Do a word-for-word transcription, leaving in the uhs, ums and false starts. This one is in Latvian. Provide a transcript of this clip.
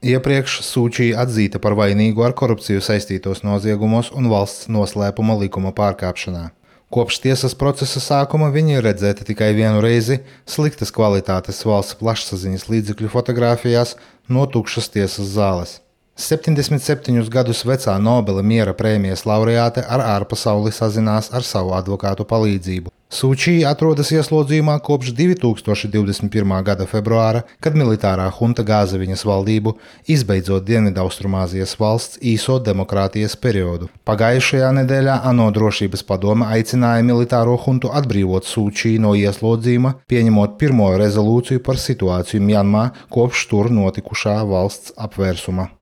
Iepriekš Sūčī atzīta par vainīgu ar korupciju saistītos noziegumos un valsts noslēpuma likuma pārkāpšanā. Kopš tiesas procesa sākuma viņa ir redzēta tikai vienu reizi sliktas kvalitātes valsts plašsaziņas līdzekļu fotogrāfijās no tukšas tiesas zāles. septiņdesmit septiņus gadus vecā Nobela miera prēmijas laureāte ar ārpasauli sazinās ar savu advokātu palīdzību. Sūčī atrodas ieslodzījumā kopš divi tūkstoši divdesmit pirmā gada februāra, kad militārā hunta gāza viņas valdību, izbeidzot Dienvidaustrumāzijas valsts īso demokrātijas periodu. Pagājušajā nedēļā ANO drošības padome aicināja militāro huntu atbrīvot Sūčī no ieslodzījuma, pieņemot pirmo rezolūciju par situāciju Mjanmā kopš tur notikušā valsts apvērsuma.